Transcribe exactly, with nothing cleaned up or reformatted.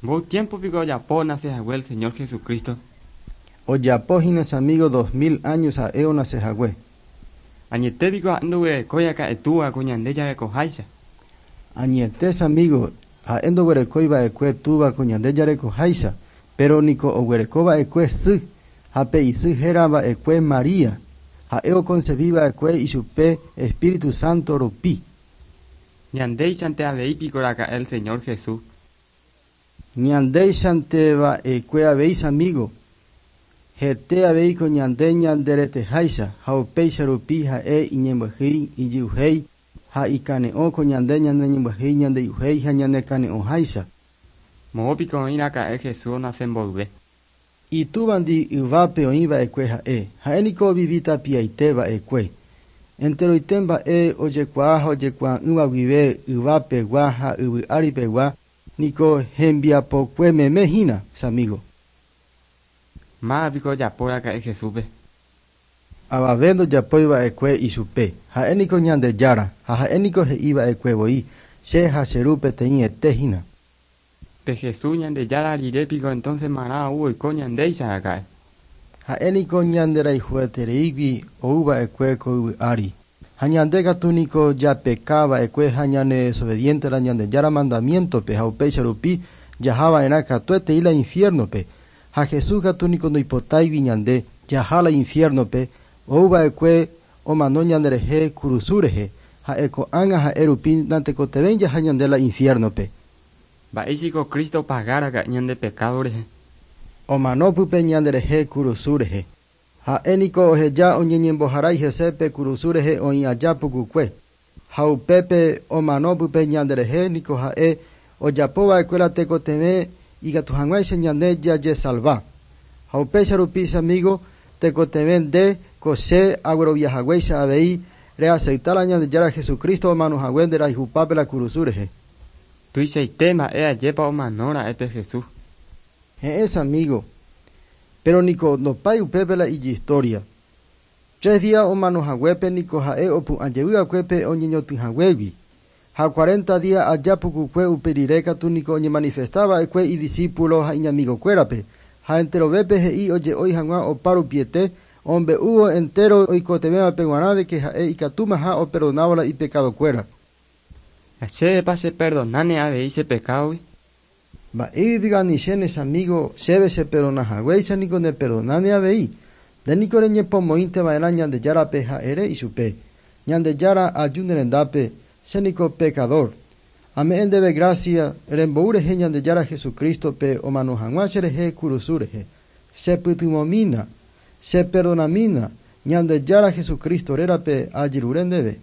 Mboy tiempo piko ojapo onase hague el Señor Jesucristo? Ojapo hína amigo dos mil años ha'e onase hague. Añete piko ha'e ndoguerekói túva ko ñande jarekoháicha. Añete amigo, ha'e ndoguerekói va'ekue túva ko ñande jarekoháicha, pero niko oguereko va'ekue sy, ha pe isy héra va'ekue María. Ha'e oconcebi va'ekue ichupe Espíritu Santo rupi. Ñandéichante avei piko raka'e el Señor Jesús. Ñandéichante va'ekue avei amigo. Hete avei ko ñande ñandereteháicha ha upéicha rupi ha'e iñembyahýi ijy'uhéi ha ikane'õ ko ñande ñaneñembyahýi ñandey'uhéi ha ñanekane'õháicha. Moõ piko oĩ raka'e Jesús onase mboyve. Itúvandi yvápe oĩ va'ekue ha'e, ha'e niko ovivi tapiaite va'ekue. Enteroite mba'e ojekuaa ha ojekuaa'ỹva guive yvapegua ha yvy áripegua niko hembiapokue meme hína, amigo. Máva piko ojapo raka'e Jesúspe. Avave ndojapói va'ekue ichupe, ha'e niko Ñandejára ha ha'e niko he'i va'ekue voi, che ha che ru peteĩ ete hína. Pe Jesús Ñandejára rire piko entonces marã ou oiko ñandéicha raka'e. Ha'e niko ñanderayhuetereígui ou va'ekue ko yvy ári. Ha ñande katu niko japeka va'ekue ha ñane desobediente la Ñandejára mandamientope ha upéicha rupi jaha va'erã katuetei la infiernope. Ha Jesús katu niko ndoipotáigui ñande jaha la infiernope ou va'ekue omano ñanderehe kurusu rehe ha'e ko'ág̃a ha'e rupi natekotevẽi jaha ñande la infiernope. Mba'éichiko Cristo opaga raka'e ñande pecado rehe. Omano pype ñanderehe kurusu rehe. Ha'e niko oheja oñeñemboharái hese pe kurusu rehe oĩ aja pukukue. Ha upépe omano pype ñanderehe niko ha'e ojapo va'ekue la tekotevẽ ikatu hag̃uáicha ñande jajesalva. Ha upéicha rupi amigo tekotevẽ nde ko che agueroviahaguéicha avei reacepta la Ñandejára Jesucristo omano hague nderayhupápe la kurusu rehe. Tuichaite mba'e ajépa omano ra'e pe Jesús. He'ẽ amigo, pero niko ndopái upépe la ijistoria. Tres días omano haguépe niko ha'e opu'ã jey va'ekuépe oñeñotỹhaguégui. Ha cuarenta días aja pukukue upe rire katu niko oñemanifesta va'ekue idiscípulo ha iñamigokuérape. Ha enterovépe he'i oje'ói hag̃ua opa rupiete ombe'úvo entero oikotevẽvape g̃uarã de que ha'e ikatúmaha operdonávo la ipekadokuéra. Chévepa cheperdonáne avei che pecadogui. Mba'éipi anichéne amigo chéve cheperdonahaguéicha niko neperdonáne avei. Nde niko reñepomoĩnte va'erã Ñandejárape ha ere ichupe. Ñandejára aju nerendápe che niko pecador. Ame'ẽ ndéve gracia rembou rehe Ñandejára Jesucristope omano hag̃ua cherehe kurusu rehe. Chepytyvõmína, cheperdonamína, Ñandejára Jesucristo rérape ajerure ndéve.